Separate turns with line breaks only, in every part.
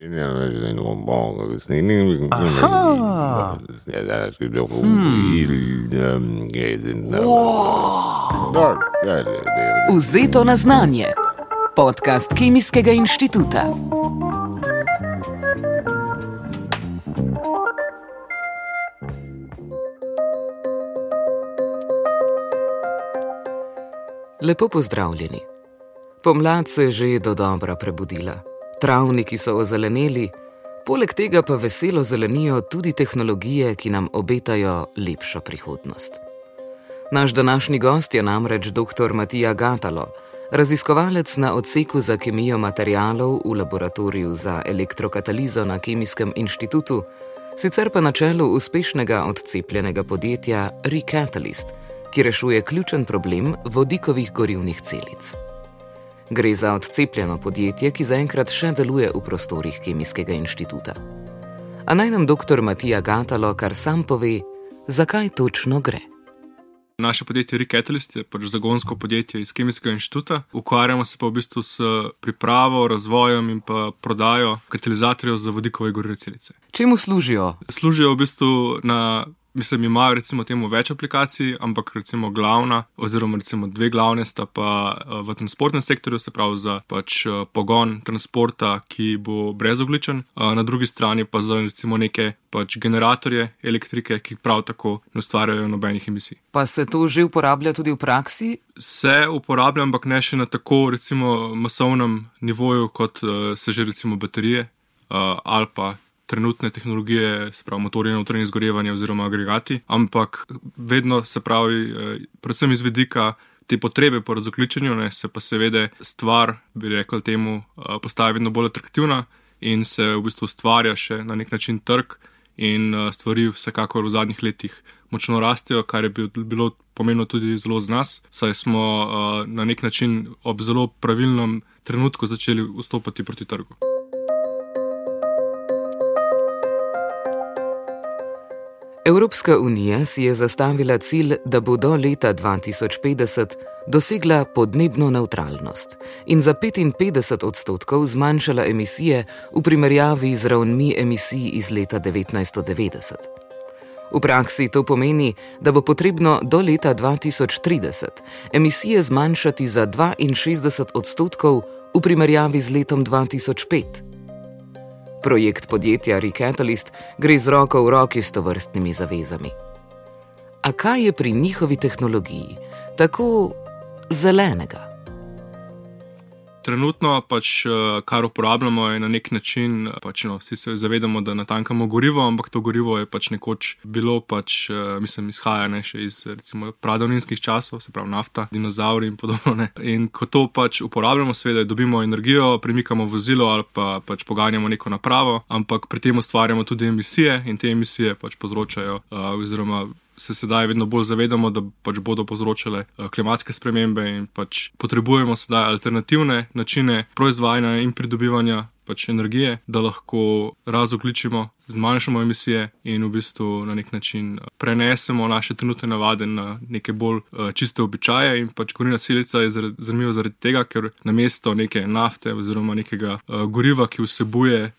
Aha.
Vzeto na znanje. Podcast Kemijskega inštituta. Lepo pozdravljeni. Pomlad se je že dodobra prebudila. Travniki so ozeleneli, poleg tega pa veselo zelenijo tudi tehnologije, ki nam obetajo lepšo prihodnost. Naš današnji gost je namreč dr. Matija Gatalo, raziskovalec na odseku za kemijo materialov v laboratoriju za elektrokatalizo na Kemijskem inštitutu, sicer pa na čelu uspešnega odcepljenega podjetja ReCatalyst, ki rešuje ključen problem vodikovih gorivnih celic. Gre za odcepljeno podjetje, ki zaenkrat še deluje v prostorih Kemijskega inštituta. A naj nam dr. Matija Gatalo kar sam pove, zakaj točno gre.
Naše podjetje ReCatalyst je zagonsko podjetje iz Kemijskega inštituta. Ukvarjamo se pa v bistvu s pripravo, razvojem in pa prodajo katalizatorjev za vodikove gorivne celice.
Čemu služijo?
Služijo v bistvu imajo recimo temu več aplikacij, ampak recimo glavna oziroma recimo dve glavne sta pa v transportnem sektorju, se pravi za pogon transporta, ki bo brezogličen, na drugi strani pa za recimo neke generatorje elektrike, ki prav tako ne ustvarjajo nobenih emisij.
Pa se to že uporablja tudi v praksi?
Se uporablja, ampak ne še na tako recimo masovnem nivoju, kot se že recimo baterije ali pa trenutne tehnologije, se pravi motorje na notranje izgorevanje oziroma agregati, ampak vedno se pravi, predvsem iz vidika te potrebe po razogljičenju, se pa seveda stvar, bi rekel temu, postaja vedno bolj atraktivna in se v bistvu ustvarja še na nek način trg in stvari vsekakor v zadnjih letih močno rastejo, kar je bilo pomembno tudi zelo z nas, saj smo na nek način ob zelo pravilnem trenutku začeli vstopati proti trgu.
Evropska unija si je zastavila cilj, da bo do leta 2050 dosegla podnebno nevtralnost in za 55% zmanjšala emisije v primerjavi z ravnmi emisij iz leta 1990. V praksi to pomeni, da bo potrebno do leta 2030 emisije zmanjšati za 62% v primerjavi z letom 2005. Projekt podjetja ReCatalyst gre z roko v roki s tovrstnimi zavezami. A kaj je pri njihovi tehnologiji tako zelenega?
Trenutno kar uporabljamo je na nek način, vsi se zavedamo, da natankamo gorivo, ampak to gorivo je nekoč bilo, izhaja še iz recimo pradavninskih časov, se pravi nafta, dinozavri in podobno. In ko to uporabljamo, seveda dobimo energijo, premikamo vozilo ali pa poganjamo neko napravo, ampak pri tem ustvarjamo tudi emisije in te emisije povzročajo oziroma se sedaj vedno bolj zavedamo, da bodo povzročale klimatske spremembe in potrebujemo sedaj alternativne načine proizvajanja in pridobivanja energije, da lahko razogljičimo, zmanjšamo emisije in v bistvu na nek način prenesemo naše trenutne navade na neke bolj čiste običaje. In gorivna celica je zanimiva zaradi tega, ker namesto neke nafte oziroma nekega goriva, ki vsebuje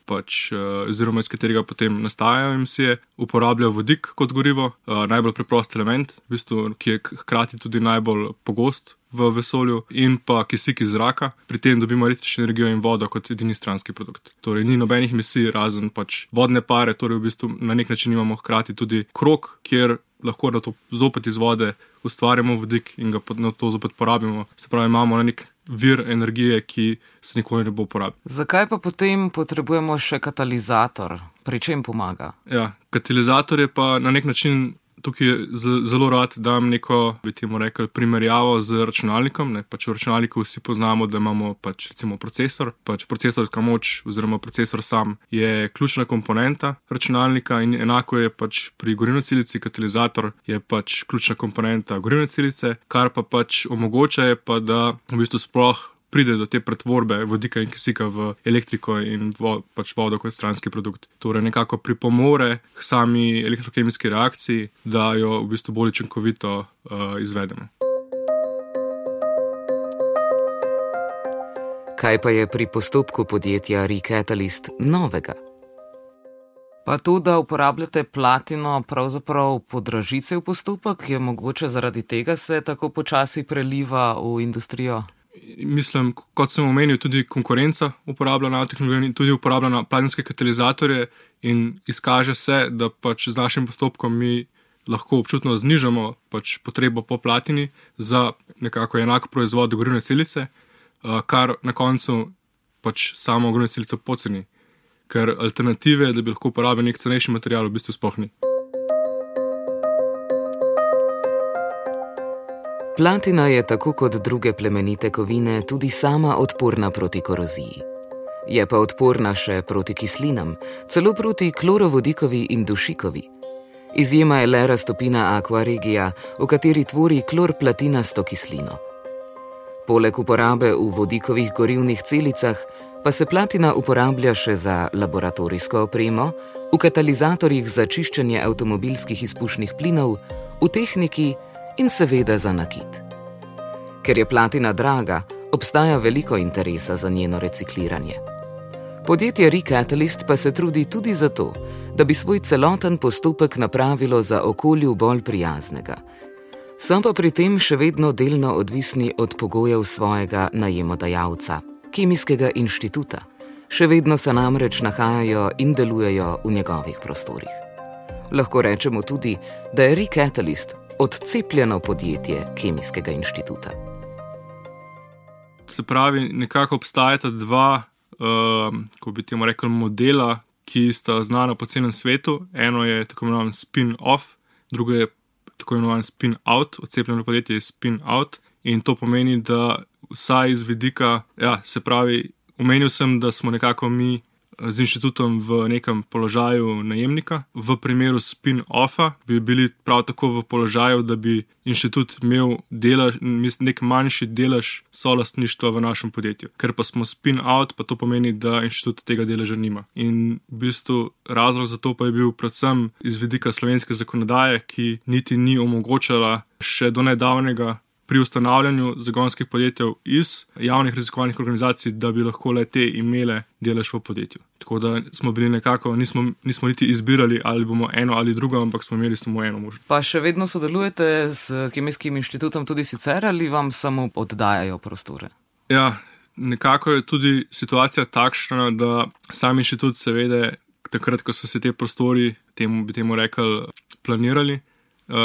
oziroma iz katerega potem nastajajo emisije, uporablja vodik kot gorivo, najbolj preprost element, v bistvu, ki je hkrati tudi najbolj pogost v vesolju, in pa kisik iz zraka. Pri tem dobimo električno energijo in vodo kot edini stranski produkt. Torej ni nobenih emisij razen vodne pare, torej v bistvu na nek način imamo hkrati tudi krog, kjer lahko na to zopet iz vode ustvarjamo vodik in ga na to zopet porabimo. Se pravi, imamo na nek vir energije, ki se nikoli ne bo uporabil.
Zakaj pa potem potrebujemo še katalizator? Pri čem pomaga?
Ja, katalizator je pa na nek način. Tukaj zelo rad dam neko, bi temu rekel, primerjavo z računalnikom. V računalniku vsi poznamo, da imamo recimo procesor. Procesorska moč oziroma procesor sam je ključna komponenta računalnika in enako je pri gorivni celici. Katalizator je ključna komponenta gorivne celice, kar pa omogoča je pa, da v bistvu sploh pride do te pretvorbe vodika in kisika v elektriko in vodo kot stranski produkt. Torej nekako pripomore k sami elektrokemijski reakciji, da jo v bistvu bolj učinkovito izvedemo.
Kaj pa je pri postopku podjetja Recatalyst novega? Pa to, da uporabljate platino, pravzaprav podraži cel postopek, je mogoče zaradi tega se tako počasi preliva v industrijo?
Mislim, kot sem omenil, tudi konkurenca uporablja nanotehnologijo in tudi uporablja platinske katalizatorje in izkaže se, da pač z našim postopkom mi lahko občutno znižamo pač potrebo po platini za nekako enak proizvod gorivne celice, kar na koncu pač samo gorivno celico poceni, ker alternative, da bi lahko uporabili nek cenejši material, v bistvu sploh ni.
Platina je tako kot druge plemenite kovine tudi sama odporna proti koroziji. Je pa odporna še proti kislinam, celo proti klorovodikovi in dušikovi. Izjema je le raztopina Aqua Regia, v kateri tvori klorplatinasto kislino. Poleg uporabe v vodikovih gorivnih celicah pa se platina uporablja še za laboratorijsko opremo, v katalizatorjih za čiščenje avtomobilskih izpušnih plinov, v tehniki in seveda za nakit. Ker je platina draga, obstaja veliko interesa za njeno recikliranje. Podjetje Recatalyst pa se trudi tudi za to, da bi svoj celoten postopek napravilo za okolju bolj prijaznega. So pa pri tem še vedno delno odvisni od pogojev svojega najemodajalca, Kemijskega inštituta. Še vedno se namreč nahajajo in delujejo v njegovih prostorih. Lahko rečemo tudi, da je Recatalyst odcepljeno podjetje Kemijskega inštituta.
Se pravi, nekako obstajata dva, ko bi temu rekel, modela, ki sta znana po celem svetu. Eno je tako imenovan spin-off, drugo je tako imenovan spin-out, odcepljeno podjetje je spin-out in to pomeni, da vsaj iz vidika, se pravi, omenil sem, da smo nekako mi z inštitutom v nekem položaju najemnika. V primeru spin-offa bi bili prav tako v položaju, da bi inštitut imel nek manjši delež solastništva v našem podjetju. Ker pa smo spin-out, pa to pomeni, da inštitut tega deleža nima. In v bistvu razlog za to pa je bil predvsem iz vidika slovenske zakonodaje, ki niti ni omogočala še do nedavnega pri ustanavljanju zagonskih podjetij iz javnih raziskovalnih organizacij, da bi lahko le te imele delež v podjetju. Tako da smo bili nekako, nismo niti izbirali, ali bomo eno ali drugo, ampak smo imeli samo eno možnost.
Pa še vedno sodelujete z Kemijskim inštitutom tudi sicer ali vam samo oddajajo prostore?
Ja, nekako je tudi situacija takšna, da sam inštitut seveda, takrat, ko so se te prostori, bi temu rekli, planirali,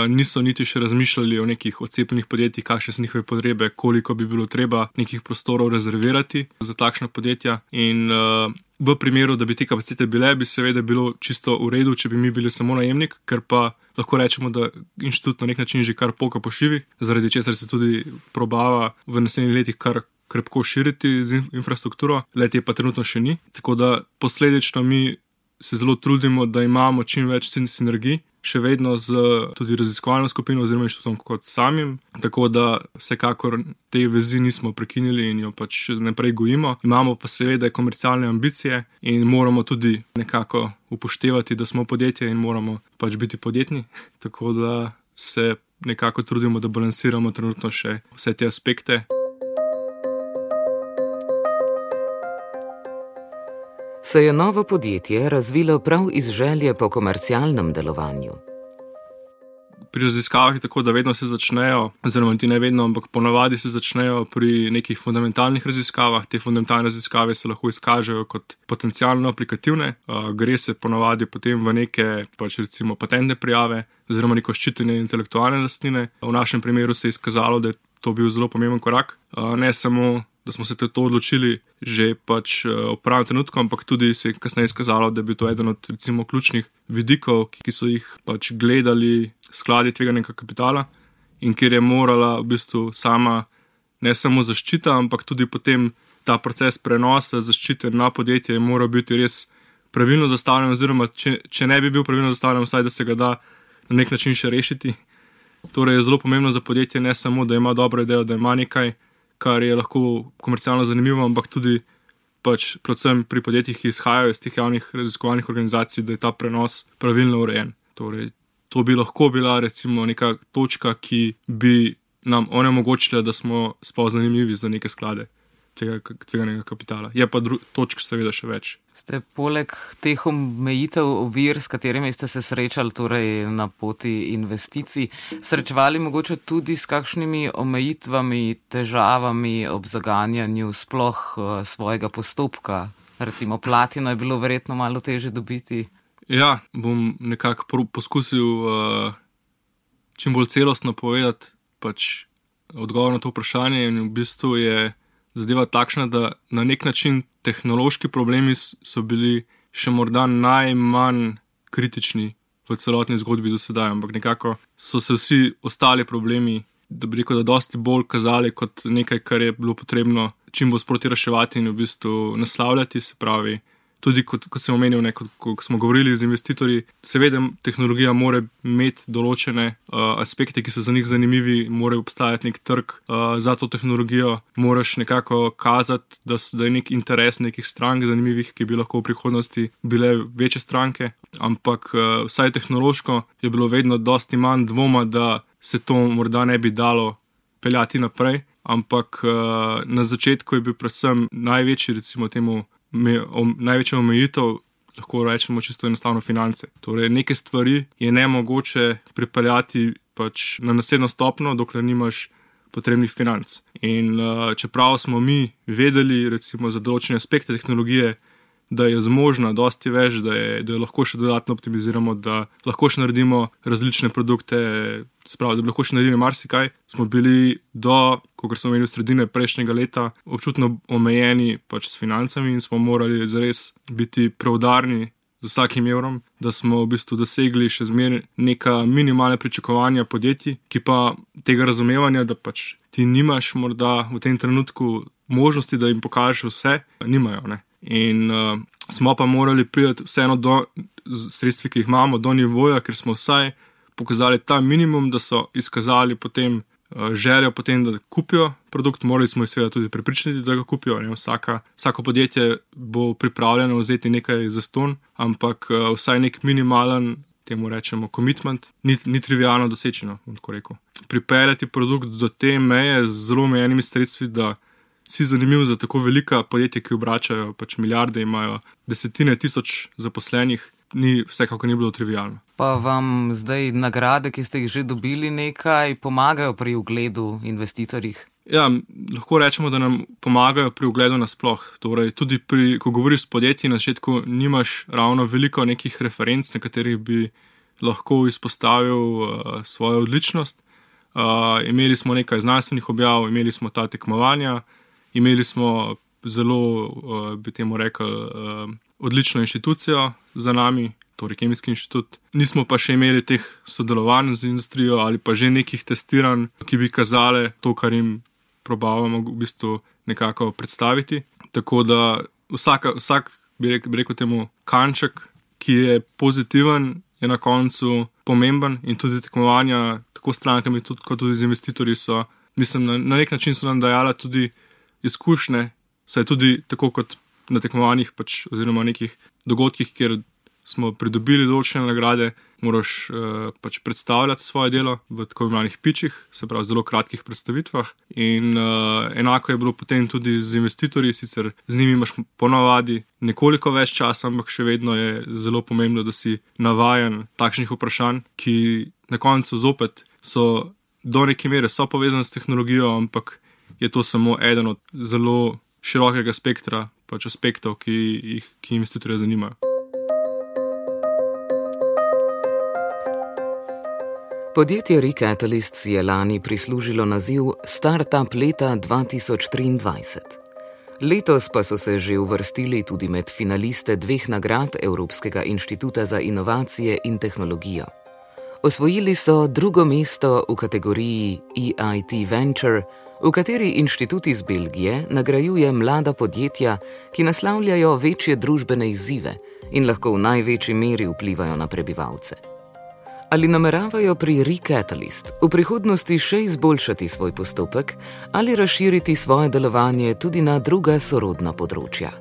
niso niti še razmišljali o nekih odcepljenih podjetjih, kakšne so njihove potrebe, koliko bi bilo treba nekih prostorov rezervirati za takšna podjetja. In v primeru, da bi te kapacitete bile, bi seveda bilo čisto v redu, če bi mi bili samo najemnik, ker pa lahko rečemo, da inštitut na nek način že kar poka po šivih, zaradi česar se tudi probava v naslednjih letih kar krepko širiti z infrastrukturo, le-te pa trenutno še ni. Tako da posledično mi se zelo trudimo, da imamo čim več sinergij, še vedno z tudi raziskovalno skupino oziroma inštitutom kot samim, tako da vsekakor te vezi nismo prekinili in jo pač naprej gojimo. Imamo pa seveda komercialne ambicije in moramo tudi nekako upoštevati, da smo podjetje in moramo pač biti podjetni, tako da se nekako trudimo, da balansiramo trenutno še vse te aspekte.
Se je novo podjetje razvilo prav iz želje po komercialnem delovanju?
Pri raziskavah je tako, da vedno se začnejo, oziroma ti ne vedno, ampak ponavadi se začnejo pri nekih fundamentalnih raziskavah. Te fundamentalne raziskave se lahko izkažejo kot potencialno aplikativne. Gre se ponavadi potem v neke pač recimo patentne prijave oziroma neko ščitenje intelektualne lastnine. V našem primeru se je izkazalo, da je to bil zelo pomemben korak. Ne samo da smo se to odločili že pač v pravem trenutku, ampak tudi se je kasneje izkazalo, da je bil to eden od recimo ključnih vidikov, ki so jih pač gledali skladi tveganega kapitala in kjer je morala v bistvu sama ne samo zaščita, ampak tudi potem ta proces prenosa zaščite na podjetje mora biti res pravilno zastavljen, oziroma če ne bi bil pravilno zastavljen, vsaj da se ga da na nek način še rešiti. Torej je zelo pomembno za podjetje ne samo, da ima dobro idejo, da ima nekaj, kar je lahko komercialno zanimivo, ampak tudi pač predvsem pri podjetjih, ki izhajajo iz teh javnih raziskovalnih organizacij, da je ta prenos pravilno urejen. Torej, to bi lahko bila recimo neka točka, ki bi nam onemogočila, da smo sploh zanimivi za neke sklade. tveganega kapitala. Je pa točk seveda še več.
Ste poleg teh omejitev, ovir, s katerimi ste se srečali torej na poti investicij, srečevali mogoče tudi s kakšnimi omejitvami, težavami ob zaganjanju sploh svojega postopka? Recimo platino je bilo verjetno malo težje dobiti.
Ja, bom nekako poskusil čim bolj celostno povedati pač odgovor na to vprašanje in v bistvu je zadeva takšna, da na nek način tehnološki problemi so bili še morda najmanj kritični v celotni zgodbi do sedaj, ampak nekako so se vsi ostali problemi, da bi rekel, da dosti bolj kazali kot nekaj, kar je bilo potrebno čim bolj sproti reševati in v bistvu naslavljati, se pravi, tudi kot sem omenil, ko smo govorili z investitorji, seveda tehnologija mora imeti določene aspekte, ki so za njih zanimivi, mora obstajati nek trg za to tehnologijo, moraš nekako kazati, da je nek interes nekih strank zanimivih, ki bi lahko v prihodnosti bile večje stranke, ampak vsaj tehnološko je bilo vedno dosti manj dvoma, da se to morda ne bi dalo peljati naprej, ampak na začetku je bil predvsem največji, recimo temu, največja omejitev, lahko rečemo čisto enostavno finance. Torej, neke stvari je nemogoče pripeljati pač na naslednjo stopnjo, dokler nimaš potrebnih financ. In čeprav smo mi vedeli, recimo za določene aspekte tehnologije, da je zmožna dosti več, da jo lahko še dodatno optimiziramo, da lahko še naredimo različne produkte, spravi, da bi lahko še naredili marsikaj, smo bili kot smo imeli v sredine prejšnjega leta, občutno omejeni pač s financami in smo morali zares biti preudarni z vsakim evrom, da smo v bistvu dosegli še zmeraj neka minimalna pričakovanja podjetij, ki pa tega razumevanja, da pač ti nimaš morda v tem trenutku možnosti, da jim pokažeš vse, nimajo, ne. In smo pa morali priti vseeno do sredstvi, ki jih imamo, do nivoja, ker smo vsaj pokazali ta minimum, da so izkazali potem željo potem, da kupijo produkt, morali smo jih seveda tudi prepričati, da ga kupijo. Ne? Vsako podjetje bo pripravljeno vzeti nekaj zastonj, ampak vsaj nek minimalen, temu rečemo commitment, ni trivialno dosečeno, bom tako rekel. Pripeljati produkt do te meje z zelo omejenimi sredstvi, da si zanimiv za tako velika podjetja, ki obračajo pač milijarde, imajo desetine tisoč zaposlenih, vsekako ni bilo trivialno.
Pa vam zdaj nagrade, ki ste jih že dobili, nekaj pomagajo pri ugledu investitorjih?
Ja, lahko rečemo, da nam pomagajo pri ugledu nasploh. Torej, tudi ko govoriš s podjetji, na začetku nimaš ravno veliko nekih referenc, na katerih bi lahko izpostavil svojo odličnost. Imeli smo nekaj znanstvenih objav, imeli smo ta tekmovanja, imeli smo zelo, bi temu rekel, odlično inštitucijo za nami, torej Kemijski inštitut. Nismo pa še imeli teh sodelovanj z industrijo ali pa že nekih testiranj, ki bi kazale to, kar jim probavamo v bistvu nekako predstaviti. Tako da vsak bi rekel temu kanček, ki je pozitiven, je na koncu pomemben in tudi tekmovanja tako s strankami kot tudi z investitorji so, mislim, na nek način so nam dajala tudi izkušnje, saj tudi tako kot na tekmovanjih pač, oziroma nekih dogodkih, kjer smo pridobili določene nagrade, moraš pač predstavljati svoje delo v tako imenovanih pitchih, se pravi zelo kratkih predstavitvah in enako je bilo potem tudi z investitorji, sicer z njimi imaš ponavadi nekoliko več časa, ampak še vedno je zelo pomembno, da si navajen takšnih vprašanj, ki na koncu zopet so do neke mere so povezane s tehnologijo, ampak je to samo eden od zelo širokega spektra pač aspektov, ki investitorje zanimajo.
Podjetje Recatalyst si je lani prislužilo naziv Startup leta 2023. Letos pa so se že uvrstili tudi med finaliste 2 nagrad Evropskega inštituta za inovacije in tehnologijo. Osvojili so 2. mesto v kategoriji EIT Venture, v kateri inštitut iz Belgije nagrajuje mlada podjetja, ki naslavljajo večje družbene izzive in lahko v največji meri vplivajo na prebivalce. Ali nameravajo pri Recatalyst v prihodnosti še izboljšati svoj postopek ali razširiti svoje delovanje tudi na druga sorodna področja?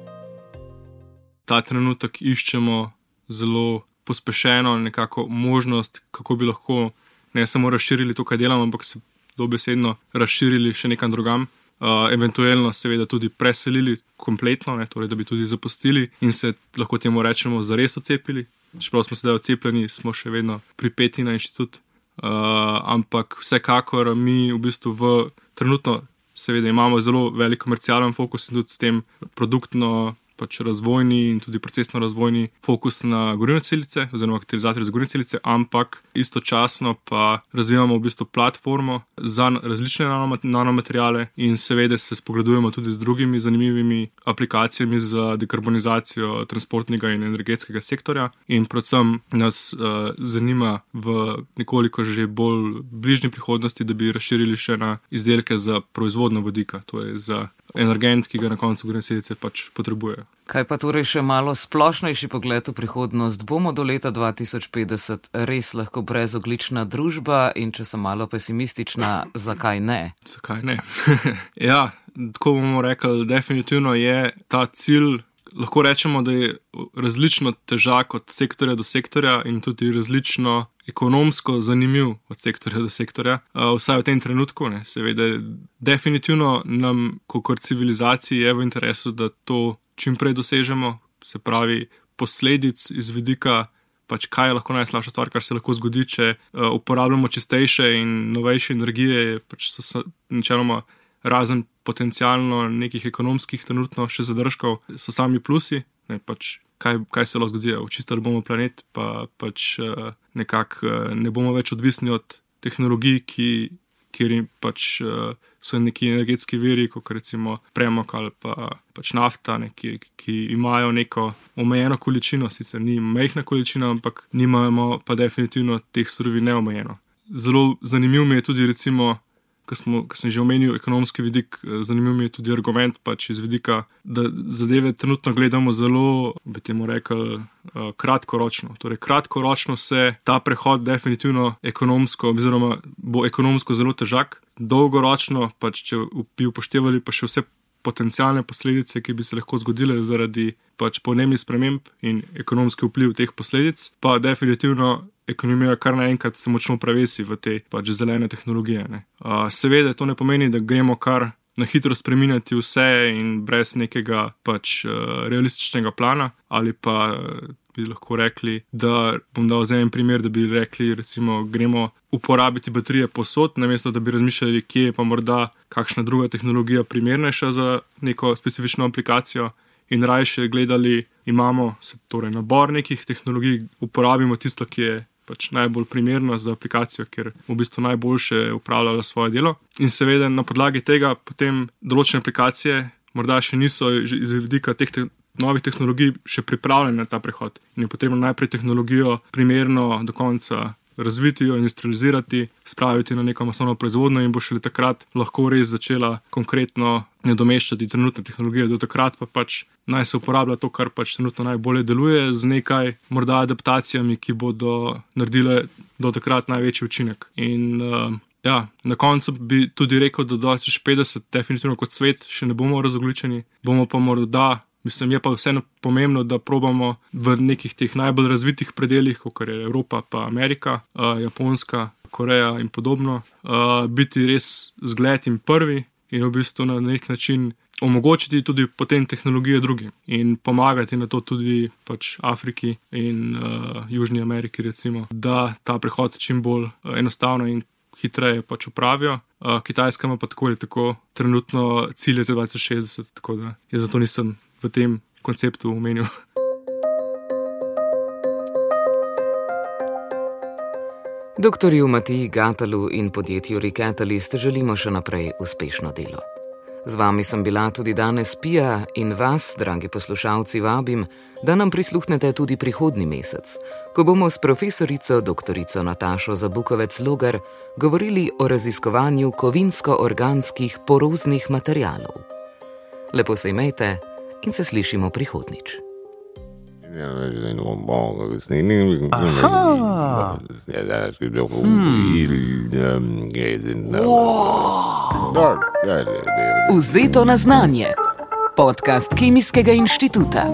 Ta trenutek iščemo zelo pospešeno nekako možnost, kako bi lahko ne samo razširili to, kaj delamo, ampak se dobesedno razširili še nekam drugam. eventualno seveda tudi preselili kompletno, ne, torej da bi tudi zapustili in se lahko temu rečemo zares odcepili. Čeprav smo sedaj odcepljeni, smo še vedno pripeti na inštitut. Ampak vsekakor mi v bistvu trenutno seveda imamo zelo velik komercialen fokus in tudi s tem produktno pač razvojni in tudi procesno razvojni fokus na gorivne celice oziroma katalizatorje za gorivne celice, ampak istočasno pa razvijamo v bistvu platformo za različne nanomateriale in seveda se spogledujemo tudi z drugimi zanimivimi aplikacijami za dekarbonizacijo transportnega in energetskega sektorja in predvsem nas zanima v nekoliko že bolj bližnji prihodnosti, da bi razširili še na izdelke za proizvodnjo vodika, to je za energent, ki ga na koncu gorivne celice pač potrebujejo.
Kaj pa torej še malo splošnejši pogled v prihodnost? Bomo do leta 2050 res lahko brezoglična družba in če sem malo pesimistična, zakaj ne?
Zakaj ne? Ja, tako bomo rekli, definitivno je ta cilj, lahko rečemo, da je različno težak od sektorja do sektorja in tudi različno ekonomsko zanimiv od sektorja do sektorja, vsaj v tem trenutku, ne. Seveda, definitivno nam, kot civilizaciji, je v interesu, da to čim prej dosežemo, se pravi posledic iz vidika, pač kaj je lahko najslabša stvar, kar se lahko zgodi, če uporabljamo čistejše in novejše energije, pač so načeloma razen potencialno nekih ekonomskih trenutno še zadržkov, so sami plusi, ne, pač kaj se lahko zgodi, očistili bomo planet, pa pač nekako ne bomo več odvisni od tehnologij, kjer pač so neki energetski viri, kot recimo premog ali pa pač nafta, ki imajo neko omejeno količino, sicer ni majhna količina, ampak nimamo pa definitivno teh surovin neomejeno. Zelo zanimiv mi je tudi recimo, ko sem že omenil ekonomski vidik, zanimiv mi je tudi argument pač iz vidika, da zadeve trenutno gledamo zelo, bi temu rekli, kratkoročno. Torej kratkoročno se ta prehod definitivno ekonomsko, oziroma bo ekonomsko zelo težak, dolgoročno pač, če bi upoštevali pa še vse potencialne posledice, ki bi se lahko zgodile zaradi pač podnebnih sprememb in ekonomski vpliv teh posledic, pa definitivno ekonomija kar naenkrat se močno prevesi v te pač zelene tehnologije, ne. Seveda to ne pomeni, da gremo kar na hitro spreminjati vse in brez nekega pač realističnega plana, ali pa bi lahko rekli, da bom dal za en primer, da bi rekli, recimo, gremo uporabiti baterije povsod, namesto da bi razmišljali, kje je pa morda kakšna druga tehnologija primernejša za neko specifično aplikacijo in rajše gledali, imamo torej nabor nekih tehnologij, uporabimo tisto, ki je pač najbolj primerno za aplikacijo, ker v bistvu najboljše upravljala svoje delo. In seveda na podlagi tega potem določene aplikacije morda še niso iz vidika teh novih tehnologij še pripravljene na ta prehod. In je potrebno najprej tehnologijo primerno do konca razviti jo, industrializirati, spraviti na neko masovno proizvodnjo in bo šele takrat lahko res začela konkretno nadomeščati trenutne tehnologije. Do takrat pa pač naj se uporablja to, kar pač trenutno najbolje deluje, z nekaj morda adaptacijami, ki bodo naredile do takrat največji učinek. In ja, na koncu bi tudi rekel, da do 2050 definitivno kot svet še ne bomo razogljičeni, bomo pa morda, mislim, je pa vseeno pomembno, da probamo v nekih teh najbolj razvitih predeljih, kot je Evropa pa Amerika, Japonska, Koreja in podobno, biti res zgled in prvi in v bistvu na nek način omogočiti tudi potem tehnologije drugim in pomagati na to tudi pač Afriki in Južni Ameriki recimo, da ta prehod čim bolj enostavno in hitreje pač opravijo. Kitajska ima pa tako ali tako trenutno cilje za 2060, tako da jaz zato nisem v tem konceptu omenil.
Doktorju Matiji Gatalu in podjetju Recatalyst želimo še naprej uspešno delo. Z vami sem bila tudi danes Pija in vas, dragi poslušalci, vabim, da nam prisluhnete tudi prihodnji mesec, ko bomo s profesorico doktorico Natašo Zabukovec-Logar govorili o raziskovanju kovinsko-organskih poroznih materialov. Lepo se imejte in se slišimo prihodnjič. Vzeto na znanje. Podcast Kemijskega inštituta.